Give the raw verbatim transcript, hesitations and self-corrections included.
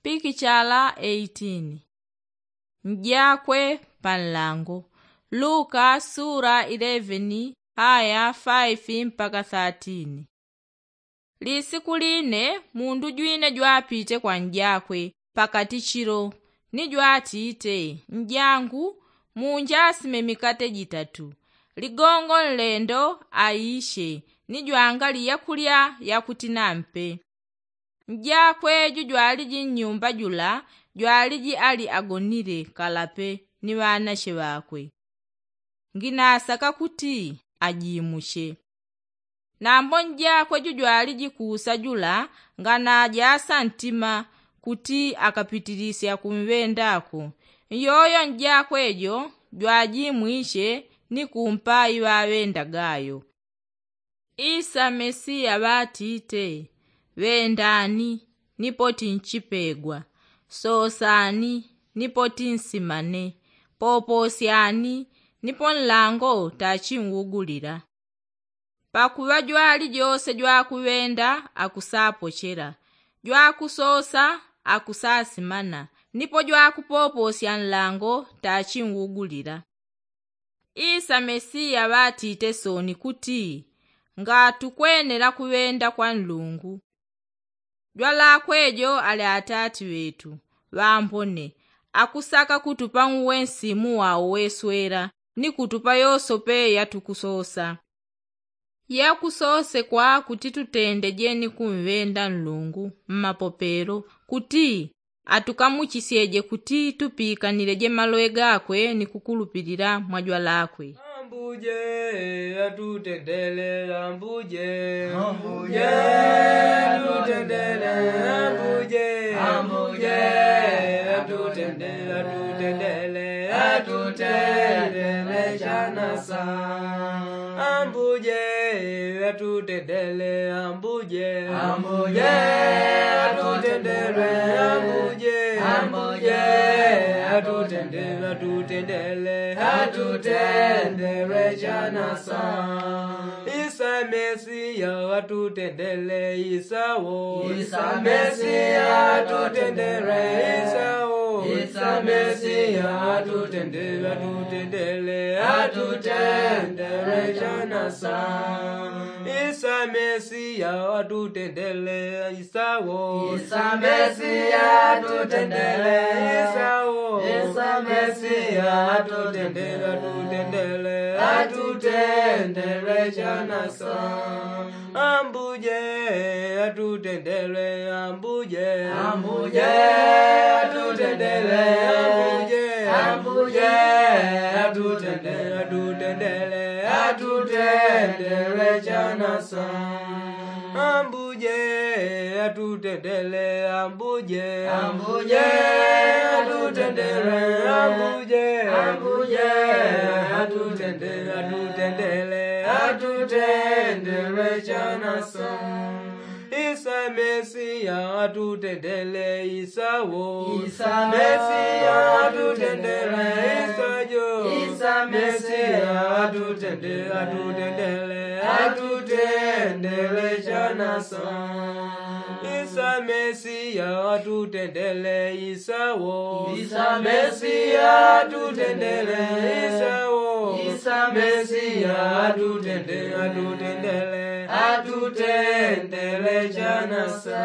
Pikichala eighteen. Njakwe pa nlango. Luka sula eleven aya faifi mpaka thirteen. Lisiku line mundu jwine jwapite kwa njakwe pakati chilo, ni jwatite, njangu, munjasime mikate jitatu, ligongo nlendo aishe, ni jwangali yakulya yakuti nampe. Njakwe jujwaliji nnyumba jula jwaliji ali agonile kalape ni ŵanashe ŵakwe. Nginasaka kuti ajimushe. Nambo njakwe jujwaliji kusa jula nganajasa ntima kuti akapitilisya kumŵendako. Nyoyo njakwe jo jwajimwishe ni kumpa iŵaŵenda gayo. Isa mesiya ŵatite, ŵendani, nipoti nchipegwa. Sosani, nipoti nsimane. Poposyani, nipo nlango tachinwugulila. Pakuŵa jwali jose jwakuŵenda akusapochela, jwakusosa akusasimana, nipo jwakupoposya nlango tachinwugulila. Isa mesiya ŵatite soni kuti, ngatukwenela kuŵenda kwa nlungu. Jwalakwe jo ali atati ŵetu ŵambone, akusaka kutupa uwe nsimu wao weswela, ni kutupa yosope yatukusosa. Yakusosekwa kuti tutendeje ni kumŵenda nlungu mmapopelo, kuti atukamuchisyeje kuti tupikanileje maloŵe gakwe ni kukulupilila mwa jwalakwe. Ambuje atutendele ambuje. Ambuje atutendele ambuje. Ambuje atutendele atutendele atutendele chanasa. Ambuje atutendele ambuje. Ambuje atutendele ambuje. Ambuje atutendele atutendele atutendele chanasa. Isa mesiya atutendele isa wo. Isa mesiya atutendele isa wo. Isa mesiya atutendele atutendele atutendele chanasa. Isa mesiya atutendele isa wo. Isa mesiya atutendele isa wo. Isa mesiya atutendele atutendele atutendele chanasa. Ambuje atutendele ambuje. Ambuje atutendele ambuje. Ambuje atutendele atutendele atutendele chanasa. Ambuje atutendele ambuje. Ambuje atutendele ambuje. Ambuje atutendele atutendele atutendele chanasa. Isa mesiya atutendele isa wo. Isa mesiya atutendele isa jo. Isa mesiya atutendele atutendele atutendele chanasa. Isa mesiya atutendele isa wo. Isa mesiya atutendele isa wo. Isa mesiya atutendele atutendele atutendele chanasa.